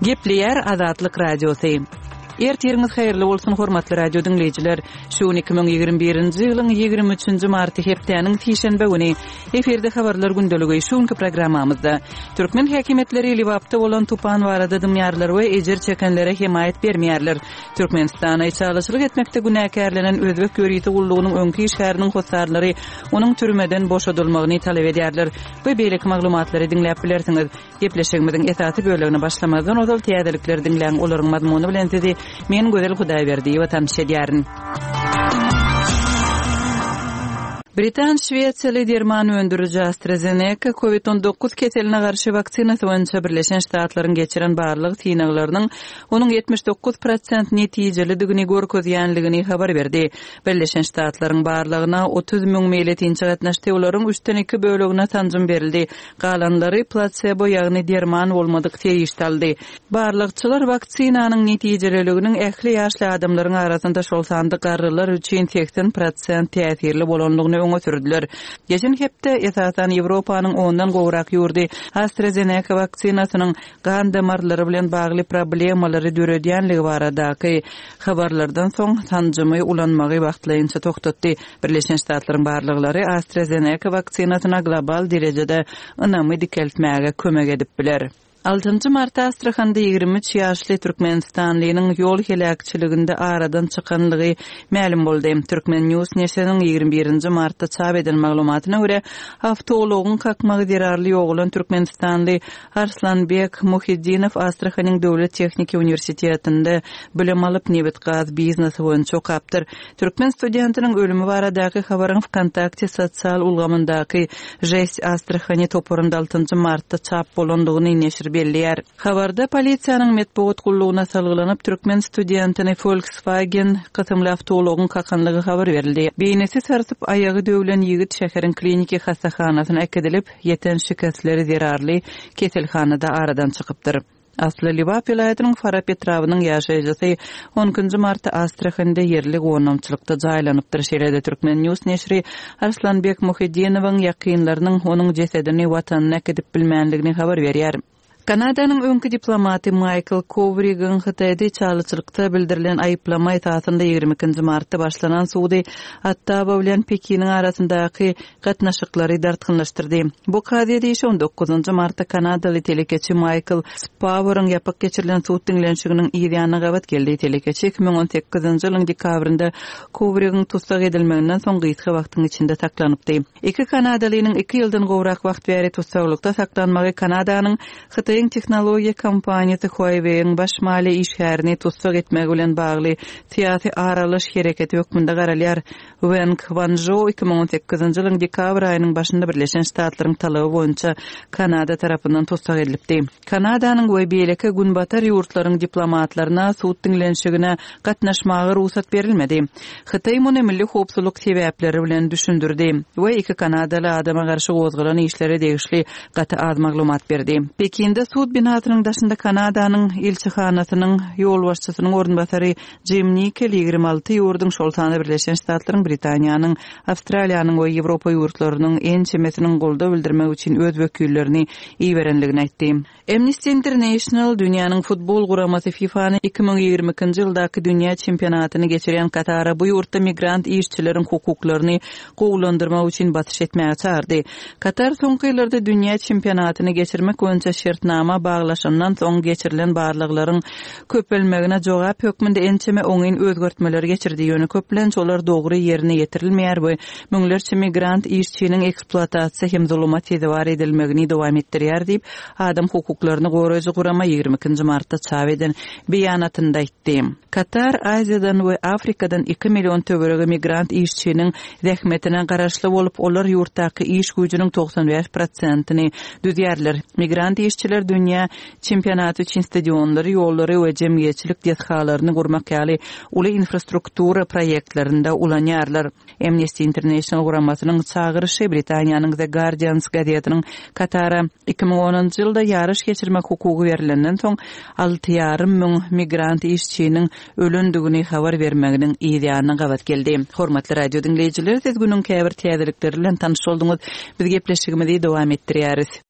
Gepleýär Azatlyk Radiosy. Ertiriňiz haýyrly bolsun, hormatly radio diňleýjiler! Şu gün 2021-nji ýylyň 23-nji marty hepdäniň sişenbe güni. Efirde habarlar gündeligi. Şu günki programmamyzda türkmen häkimiýetleri Lebapda bolan tupan barada dymýarlar we ejir çekenlere hemaýat bermeýärler. Türkmenistana içalyçylyk etmekde günäkärlenen özbek ýörite gullugynyň öňki işgäriniň hossarlary onuň türmeden boşadylmagyny talap edýärler we beýleki maglumatlary diňläp bilersiňiz. Gepleşigimiziň esasy bölegine başlamazdan ozal täzelikleri diňläň, olaryň mazmuny bilen sizi men Gözel Hudaýberdiýewa tanyş edýärin. Britan şwesiýaly derman öndüriji AstraZeneca Covid 19 keseline garşy waksinasy boýunça Birleşen Ştatlaryň geçiren barlag synaglarynyň onuň 79 prosent netijelidigini görkezýänligini habar berdi. Birleşen Ştatlaryň barlagyna 30 müň meýletinçi gatnaşdy, olaryň üçden iki bölegine sanjym berildi. Galanlary plasebo, ýagny derman bolmadyk serişde aldy. Barlagçylar waksinanyň netijeliliginiň ähli ýaşly adamlaryň arasynda, şol sanda garrylar üçin 80 prosent täsirli bolandygyny öňe sürdüler. Geçen hepde, esasan, Ýewropanyň ondan gowrak ýurdy AstraZeneca waksinasynyň gan damarlary bilen bagly problemalary döredýänligi baradaky habarlardan soň sanjymy ulanmagy wagtlaýynça togtatdy. Birleşen Ştatlaryň barlaglary AstraZeneca waksinasyna global derejede ynamy dikeltmäge kömek edip biler. Altynjy martda Astrahanda 23 ýaşly türkmenistanlynyň ýol heläkçiliginde aradan çykanlygy mälim boldy. Turkmen. News neşiriniň 21-nji martda çap eden maglumatyna görä, awtoulagyň kakmagy zerarly ýogalan türkmenistanly Arslanbek Muhiddinow Astrahanyň döwlet tehniki uniwersitetinde bilim alyp, nebit-gaz biznesi boýunça okapdyr. Türkmen studentiniň ölümi baradaky habaryň Wkontakte sosial ulgamyndaky Žest Astrahani toparynda altynjy martda çap bolandygyny neşir belleýär. Habarda polisiýanyň metbugat gullugyna salgylanyp, türkmen studentini Volkswagen kysymly awtoulagyň kakanlygy habar berildi. Beýnisi sarsyp, aýagy döwlen ýigit şäheriň kliniki hassahanasyna äkidilip, ýeten şikesleri zerarly keselhanada aradan çykypdyr. Asly Lebap welaýatynyň Farap etrabynyň ýaşaýjysy on ikinji martda Astrahanda ýerli gonamçylykda jaýlanypdyr. Şeýle-de Turkmen. News neşiri Arslanbek Muhiddinowyň ýakynlarynyň onuň jesedini watanyna äkidip bilmändigini habar berýär. Kanadanyň öňki diplomaty Maýkl Kowrigiň Hytaýda içalyçylykda bildirilen aýyplama esasynda 22 nji martda başlanan sudy Ottawa bilen Pekiniň arasyndaky gatnaşyklary dartgynlaşdyrdy. Bu kazyýet işi on dokuzynjy martda kanadaly telekeçi Maýkl Spaworyň ýapyk geçirilen sud diňlenişiginiň yz ýanyna gabat geldi. Telekeçi 2018-nji ýylyň dekabrynda Kowrigiň tussag edilmeginden soň gysga wagtyň içinde saklanypdy. Iki kanadalynyň iki ýyldan gowrak wagt bäri tussaglykda saklanmagy Kanadanyň Hytaýyň tehnologiýa kompaniýasy Huawei-iň baş maliýe işgärini tussag etmegi bilen bagly syýasy aralaş hereketi hökmünde garalýar. Weng Wanžou 2018-nji ýylyň dekabr aýynyň başynda Birleşen Ştatlaryň talaby boýunça Kanada tarapyndan tussag edilipdi. Kanadanyň we beýleki günbatar ýurtlaryň diplomatlaryna sud diňlenişigine gatnaşmaga rugsat berilmedi. Hytaý muny milli howpsuzlyk sebäpleri bilen düşündirdi we iki kanadaly adama garşy gozgalan işlere degişli gaty az maglumat berdi. Pekinde sud binasynyň daşynda Kanadanyň ilçihanasynyň ýolbaşçysynyň orunbasary Jim Nikel 26 ýurduň, şol sanda Birleşen Ştatlaryň, Britaniýanyň, Awstraliýanyň we Ýewropa ýurtlarynyň ençemesiniň goldaw bildirmek üçin öz wekillerini iberendigini aýtdy. Amnesty International dünýäniň futbol guramasy FIFA-ny 2022-nji ýyldaky dünýä çempionatyny geçirýän Katara bu ýurtda migrant işçileriň hukuklaryny gowulandyrmak üçin basyş etmäge çagyrdy. Katar soňky ýyllarda dünýä çempionatyny geçirmek boýunça şertnama baglaşandan soň geçirilen barlaglaryň köpelmegine jogap hökmünde ençeme oňyn özgertmeleri geçirdi, ýöne köplenç olar dogry ýerine ýetirilmeýär we müňlerçe migrant işçiniň ekspluatasiýa hem zuluma sezewar edilmegini dowam etdirýär diýip, adam hukuklaryny goraýjy gurama 22 nji martda çap eden beýanatynda aýtdy. Katar Aziýadan we Afrikadan iki million töweregi migrant işçiniň zähmetine garaşly bolup, olar ýurtdaky iş güýjüniň 95 prosentini düzýärler. Migrant işçiler dünýä çempionaty üçin stadionlary, ýollary we jemgyýetçilik desgalaryny gurmak ýaly uly infrastruktura proýektlerinde ulanýarlar. Amnesty International guramasynyň çagyryşy Britaniýanyň The Guardians gazetiniň Katara 2010-njy ýylda ýaryş geçirmek hukugy berlenden soň alty ýarym müň migrant işçiniň ölendigini habar bermeginiň yz ýanyna gabat geldi. Hormatly radio diňleýjiler, siz günüň käbir täzelikleri bilen tanyş bolduňyz. Biz gepleşigimizi dowam etdirýäris.